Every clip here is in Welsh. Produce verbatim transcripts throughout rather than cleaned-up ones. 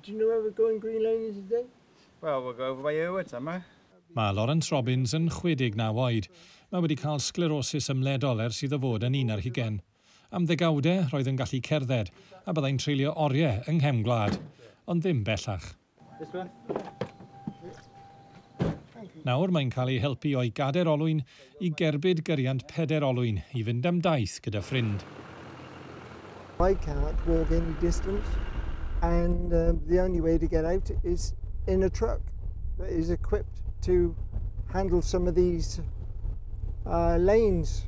Do you know where we're going green lane today? Well, we'll go over by Erwood somewhere. Mae Lawrence Robbins yn chwe deg naw oed. Mae wedi cael sglerosis ymledol ers iddo fod yn un ar hugain. Am ddegawdau roedd yn gallu cerdded a byddai'n treulio oriau yng nghefn gwlad, ond ddim bellach. This one? Nawr mae'n cael ei helpu o'i gader olwyn i gerbyd gyriant peder olwyn i fynd am daith gyda ffrind. I can't walk any distance, and um, the only way to get out is in a truck that is equipped to handle some of these uh, lanes,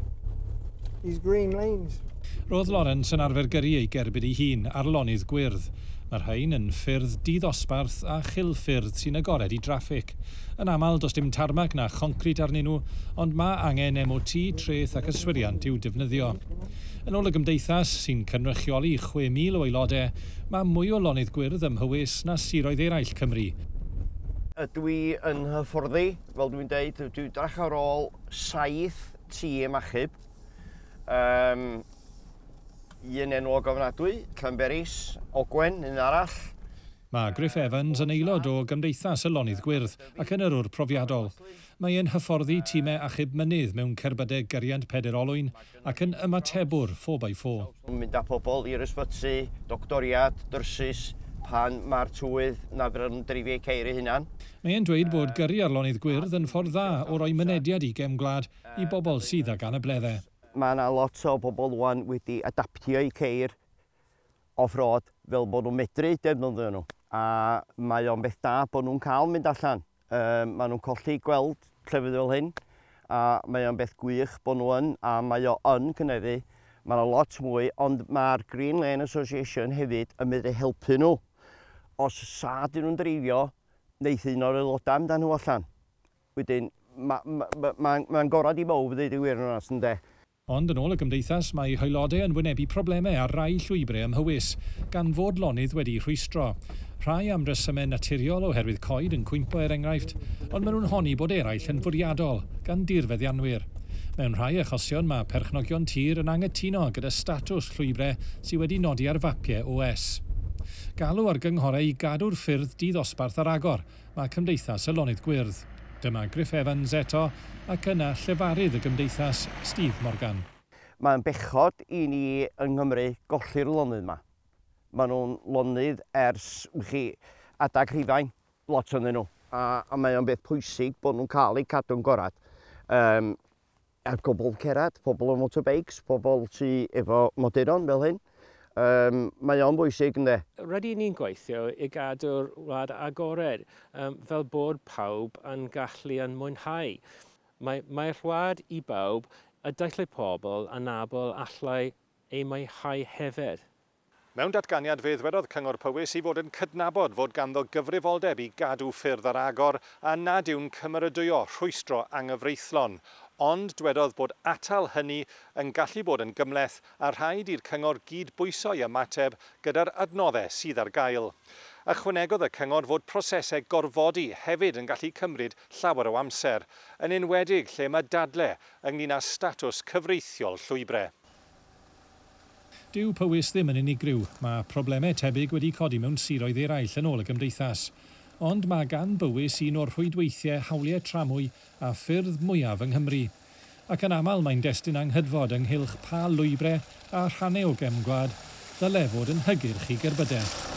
these green lanes. Roedd Lawrence yn arfer gyrru ei gerbyd ei hun ar lonydd gwyrdd. Mae'r rhain yn ffyrdd diddosbarth a chilffyrdd sy'n agored i draffig. Yn aml, does dim tarmac na choncrit arnyn nhw, ond mae angen M O T, treth ac yswiriant i'w defnyddio. Yn ôl y gymdeithas, sy'n cynrychioli chwe mil o aelodau, mae mwy o lonydd gwyrdd ym Mhywys na siroedd eraill Cymru. Ydw i yn hyfforddi, fel dwi'n deud, dwi'n drach ar ôl saith tîm achub. Um, un enwog ofnadwy, Llanberis, Ogwen, un arall. Mae Griff Evans yn aelod o Gymdeithas y Lonydd Gwyrdd ac yn yrwr profiadol. Mae e'n hyfforddi tîmau achub mynydd mewn cerbydau gyriant peder olwyn ac yn ymatebwr four by four. Mynd â pobl i'r ysbyty, doctoriad, nyrsys, pan mae'r tywydd na fydd nhw'n dreifio ceir eu hunan. Mae e'n dweud bod gyrru ar lonydd gwyrdd yn ffordd dda o roi mynediad i gefn gwlad i bobl sydd ag anableddau. Mae yna lot o bobl wan wedi adaptio eu ceir off-road fel bod nhw'n medru defnyddio nhw. A mae o'n beth da bod nhw'n cael mynd allan. Um, maen nhw'n colli gweld llefydd fel hyn. A mae o'n beth gwych bod nhw yn, a mae o yn cynyddu. Mae yna lot mwy, ond mae'r Green Lane Association hefyd yn medru helpu nhw. Os sa dyn nhw'n dreifio, neith un o'r aelodau mynd â nhw allan. Wedyn, mae'n ma, ma, ma, ma gorau i bawb ddweud y gwir yn onast, ynde. Ond yn ôl y gymdeithas, mae haelodau yn wynebu problemau ar rai llwybrau ym Mhywys, gan fod lonydd wedi rhwystro. Rhai am resymau naturiol oherwydd coed yn cwympo, er enghraifft, ond maen nhw'n honni bod eraill yn fwriadol gan dirfeddianwyr. Mewn rhai achosion, mae perchnogion tir yn angytuno gyda statws llwybrau sydd wedi nodi ar fapiau O S. Galw ar gynghorau i gadw'r ffyrdd diddosbarth ar agor, mae Cymdeithas y Lonydd Gwyrdd. Dyma Griff Evans eto ac yna llefarydd y gymdeithas, Steve Morgan. Mae'n bechod i ni yng Nghymru golli'r lonydd yma. Maen nhw'n lonydd ers chi, adag Rhufain, lot ohonyn nhw. A, a mae o'n beth pwysig bod nhw'n cael eu cadw'n gorad. Um, er pobl cerdded, pobl o motorbikes, pobl sy efo moduron fel hyn. Um, mae o'n bwysig, ynddo. Rydyn ni'n gweithio i gadw'r wlad agored, um, fel bod pawb yn gallu yn mwynhau. Mae, mae'r wlad i bawb, a dylai pobl anabl allai ei mwynhau hefyd. Mewn datganiad, fe ddwedodd Cyngor Powys i fod yn cydnabod fod ganddo gyfrifoldeb i gadw ffyrdd ar agor a nad yw'n cymeradwyo rhwystro anghyfreithlon. Ond dwedodd bod atal hynny yn gallu bod yn gymhleth a rhaid i'r cyngor gydbwyso'i ymateb gyda'r adnoddau sydd ar gael. Ychwanegodd y cyngor fod prosesau gorfodi hefyd yn gallu cymryd llawer o amser, yn enwedig lle mae dadle ynglyn â statws cyfreithiol llwybrau. Dyw Powys ddim yn unigryw. Mae problemau tebyg wedi codi mewn siroedd eraill, yn ôl y gymdeithas. Ond mae gan Bywys un o'r rhwydweithiau hawliau tramwy a ffyrdd mwyaf yng Nghymru. Ac yn aml mae'n destun anghydfod ynghylch pa lwybrau a rhannau o gefn gwlad ddyle fod yn hygyrch i gerbydau.